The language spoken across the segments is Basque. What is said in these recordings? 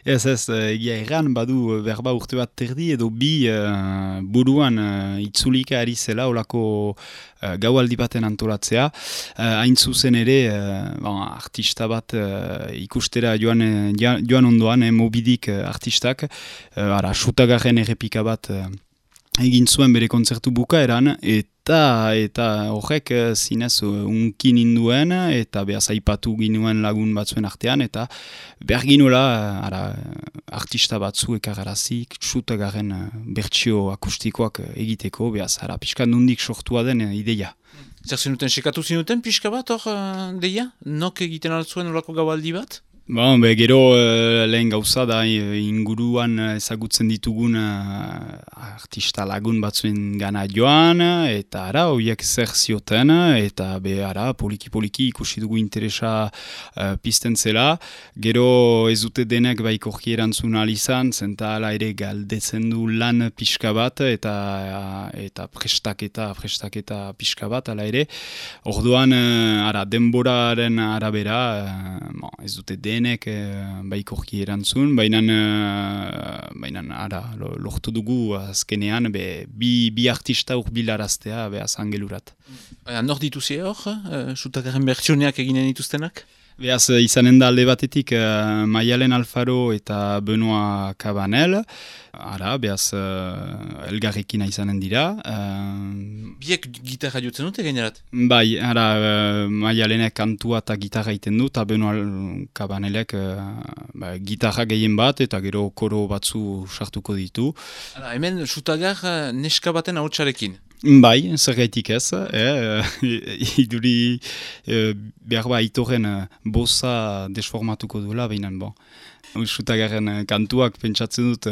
Ez, egia erran, badu berba urte bat terdi edo bi buruan itzulika ari zela olako gaualdi baten antolatzea. Hain zuzen ere, artista bat ikustera joan ondoan, Mobidik artistak, sutagarren errepika bat egin zuen bere kontzertu bukaeran, eta horrek zinez unkin induen, eta behaz aipatu ginuen lagun batzuen artean, eta behar ginoela artista batzu ekararazik, sutagarren bertsio akustikoak egiteko, behaz pixka nundik sortua den ideia. Zer zinuten, sekatu zinuten pixka bat hor deia? Nok egiten altzuen olako gaualdi bat? Gero lehen gauza da inguruan ezagutzen ditugun artista lagun batzuen gana joan, eta horiek zer zioten, eta poliki ikusi dugu interesa pizten zela. Gero ez dute denek baikorki erantzun alizan, zenta ala ere galdetzen du lan pixka bat, eta prestaketa pixka bat, ala ere. Orduan, denboraren arabera, ez dute denek baikorki erantzun, baina lortu dugu azkenean bi artista urbilaraztea behaz angelurat. Nor dituzi hor, sutagarren bertsioneak eginen dituztenak? Behaz izanen da alde batetik Maialen Alfaro eta Benoit Cabanel, behaz elgarrekin izanen dira. Biek gitarra jotzen dute gainerat? Bai, Maialenek kantua eta gitarra iten du, eta Benoit Cabanelek gitarra gehien bat, eta gero koro batzu sartuko ditu. Hemen sutagar neska baten ahotsarekin? Bai, zergaitik ez, iduri behar itoren boza desformatuko duela, behinan, sutagarren kantuak pentsatzen dut,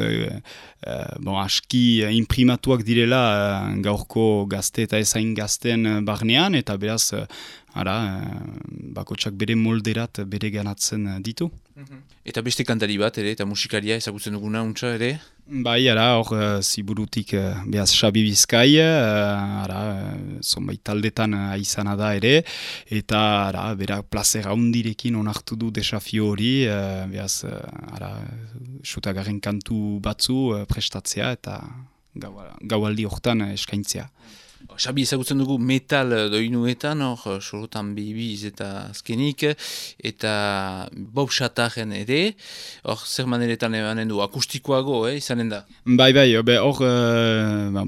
aski imprimatuak direla gaurko gazte eta ezain gazten barnean, eta beraz, bakotsak bere molderat bere ganatzen ditu. Eta beste kantari bat ere, eta musikaria ezagutzen duguna untsa ere? Bai, hor ziburutik behaz Xabi Bizkai, zonbait taldetan aizana da ere, eta berak plazera hundirekin onartu du desafio hori, behaz sutagarren kantu batzu prestatzea eta gaualdi hortan eskaintzea. Xabi ezagutzen dugu metal doinuetan, hor sorotan bibiz eta azkenik, eta Bob Chataren ere, hor zer maneretan emanen du, akustikoago, izanen da? Bai, hor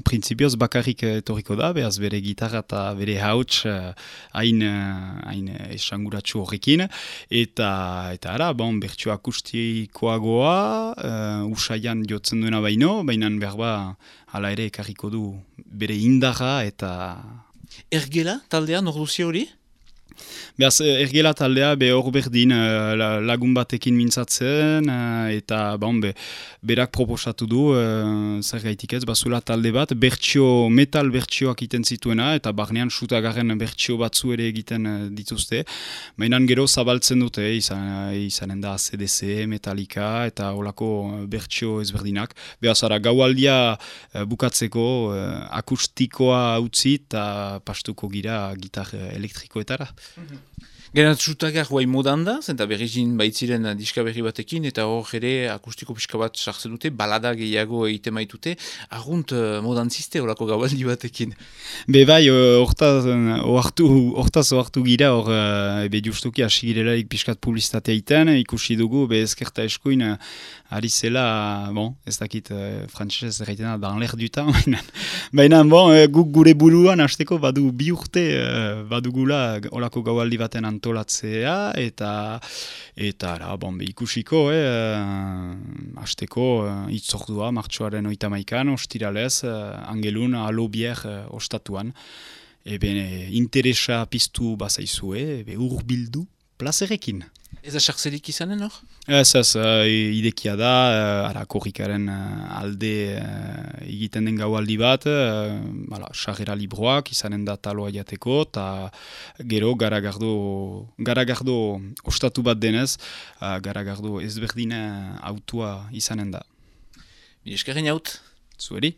printzipioz bakarrik etorriko da, behaz bere gitarra eta bere hauts hain esanguratsu horrekin, eta bertsio akustikoagoa, usaian jotzen duena baina berba hala ere ekarriko du bere indarra eta... Ergela taldea, nor duzia hori? Behaz, ergela taldea hor berdin lagun batekin mintzatzen, eta berak proposatu du, zer gaitik ez, bazula talde bat, metal bertsioak iten zituena, eta barnean sutagarren bertsio batzu ere egiten dituzte. Mainan gero zabaltzen dute, izanen da CDC, Metallica, eta holako bertsio ezberdinak. Behaz, gaualdia bukatzeko akustikoa utzi, eta pastuko gira gitar elektrikoetara. Gerat sutagar guai modan da, zenta berrizin baitziren diska berri batekin, eta hor ere akustiko pixka bat sartzen dute, balada gehiago egiten maitute, argunt modan ziste horako gaualdi batekin. Bai, hortaz ohartu gira, justuki hasi girelarik pixkat publizitatea iten, ikusi dugu, ezkerta eskuin, ari zela, ez dakit frantzesez erraitena, dans l'air du temps, baina, guk gure buruan hasteko badu bi urte, badugula olako gaualdi baten antolatzea, eta ikusiko, hasteko itzordua, martxoaren 31, ostiralez, angelun, alobier ostatuan, interesa piztu bazaizue, urbildu plazerekin. Ez da sartzelik izanen hor? Ez, idekia da, korrikaren alde egiten den gaualdi bat, sarrera libroak izanen da taloa jateko, eta gero garagardo ostatu bat denez, garagardo ezberdina autua izanen da. Eskerren jaut? Zueri?